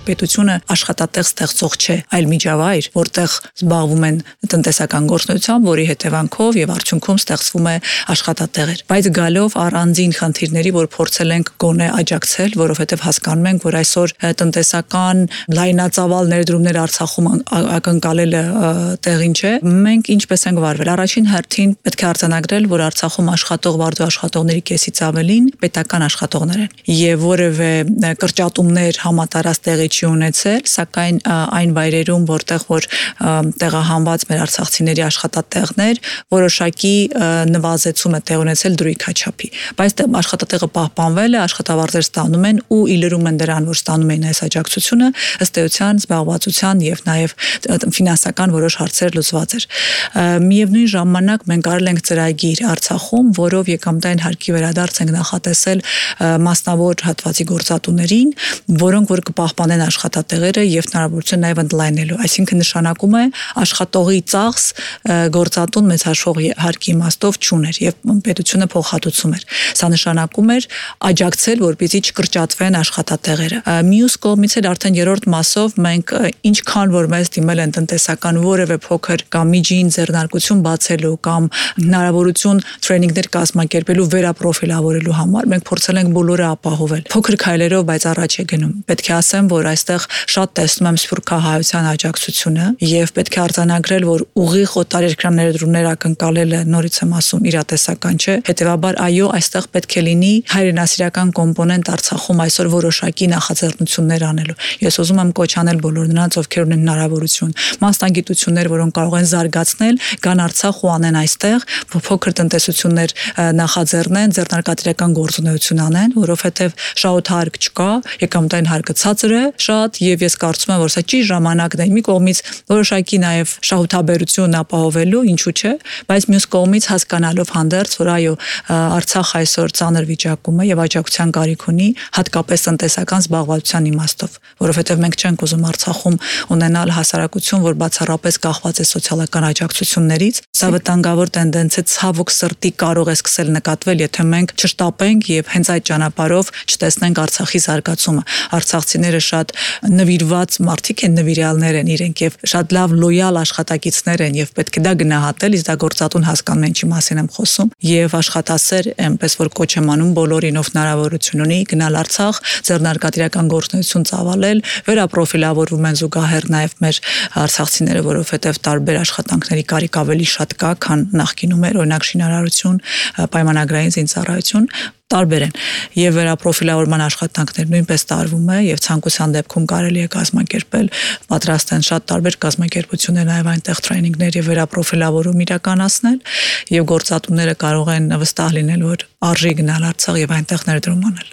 պետությունը աշխատատեղ ստեղծող չէ, այլ միջավայր, որտեղ զբաղվում են տնտեսական գործունեությամբ, որի հետևանքով եւ արդյունքում ստեղծվում է աշխատատեղեր։ Բայց գալով առանձին խնդիրների, որ փորձել ենք գոնե աջակցել, որովհետեւ հասկանում ենք, որ այսօր տնտեսական լայնածավալ ներդրումներ Արցախում ակնկալելը տեղին չէ։ Մենք ինչպես ենք վարվել։ Առաջին հերթին պետք է արձանագրել, որ Արցախում աշխատող վարձու աշխատողների կեսից ավելին պետական աշխատողներ են եւ որևէ կրճատումներ համատարած տեղի չի ունեցել, սակայն այն վայրերում, որտեղ որ տեղահանված մեր արցախցիների աշխատատեղներ, որոշակի նվազեցում է տեղ ունեցել դրույքաչափի։ Բայց աշխատատեղը պահպանվել է, աշխատավարձեր ստանում են ու իլրում են դրան, որ ստանում են այս աջակցությունը, ըստ էության զբաղվածության եւ նաեւ ֆինանսական որոշ հարցեր լուծված էր։ Միևնույն ժամանակ մենք արել ենք ծրագիր Արցախում, որով եկամտային հարկի վերադարձ ենք նախատեսել մասնավոր հատվածի գործատուներին, որոնք որ կպահպանեն աշխատատեղերը եւ հնարավորություն նաեւ ընդլայնելու։ Այսինքն նշանակում է աշխատողի ծախս գործատուն մեծ հաշվող հարկի իմաստով չուներ եւ պետությունը փոխհատուցում էր։ Սա նշանակում էր աջակցել, որպեսզի չկրճատվեն աշխատատեղերը։ Մյուս կողմից էլ արդեն երրորդ մասով մենք ինչքան որ մեզ դիմել են տնտեսական որևէ փոքր կամ միջին ձեռնարկություն բացելու կամ հնարավորություն տրեյնինգներ կազմակերպելու վերապրոֆիլավորելու համար մենք փորձել ենք բոլորը ապահովել։ Փոքր քայլերով, բայց առաջ է գնում։ Պետք է ասեմ, որ այստեղ շատ տեսնում եմ սփյուռքահայության աջակցությունը եւ պետք է արձանագրել, որ ուղիղ օտարերկրյա ներդրումներ ակնկալելը նորից եմ ասում իրատեսական չէ։ Հետևաբար այո, այստեղ պետք է լինի հայրենասիրական կոմպոնենտ Արցախում այսօր որոշակի նախաձեռնություններ անելու։ Ես ուզում եմ կոչ անել բոլոր նրանց, ովքեր ունեն հնարավորություն, մասնագիտություններ, որոնք կարող են զարգացնել, գան Արցախ ու անեն այստեղ, փոքր տնտեսություններ նախաձեռնեն, ձեռնարկատիրական գործունեություն անեն, որովհետև շահութարկ չկա, եկամտային հարկը ցածր է շատ եւ ես կարծում եմ, որ սա ճիշտ ժամանակն է մի կողմից որոշակի նաեւ շահութաբերություն ապահովելու, ինչու՞ չէ, բայց մյուս կողմից հասկանալով հանդերձ, որ այո, Արցախ այսօր ծանր վիճակում է եւ աջակցության կարիք ունի, հատկապես տնտեսական զբաղվածության իմաստով, որովհետեւ մենք չենք ուզում Արցախում ունենալ հասարակություն, որ բացառապես կախված է սոցիալական աջակցություններից։ Սա վտանգավոր տենդենց է, ցավոք սրտի կարող է սկսել նկատվել, եթե մենք չշտապենք եւ հենց այդ ճանապարհով չտեսնենք Արցախի զարգացումը։ Արցախցիները շատ նվիրված մարդիկ են, նվիրյալներ են իրենք եւ շատ լավ լոյալ աշխատակիցներ են եւ պետք է դա գնահատել, իսկ դա գործատուն հասկանում են, ինչի մասին եմ խոսում եւ աշխատասեր, այնպես որ կոչ եմ անում բոլորին, ով հնարավորություն ունի գնալ Արցախ, ձեռնարկատիրական գործունեություն ծավալել, վերապրոֆիլավորվում են զուգահեռ նաեւ մեր արցախցիները, որովհետեւ տարբեր աշխատանքների կարիք ավելի շատ կա, քան նախկինում էր, օրինակ շինարարություն, պայմանագրային զինծառայություն տարբեր են եւ վերապրոֆիլավորման աշխատանքներ նույնպես տարվում է եւ ցանկության դեպքում կարելի է կազմակերպել, պատրաստ են շատ տարբեր կազմակերպություններ նաեւ այնտեղ տրեյնինգներ եւ վերապրոֆիլավորում իրականացնել եւ գործատուները կարող են վստահ լինել, որ արժի գնալ Արցախ եւ այնտեղ ներդրում անել։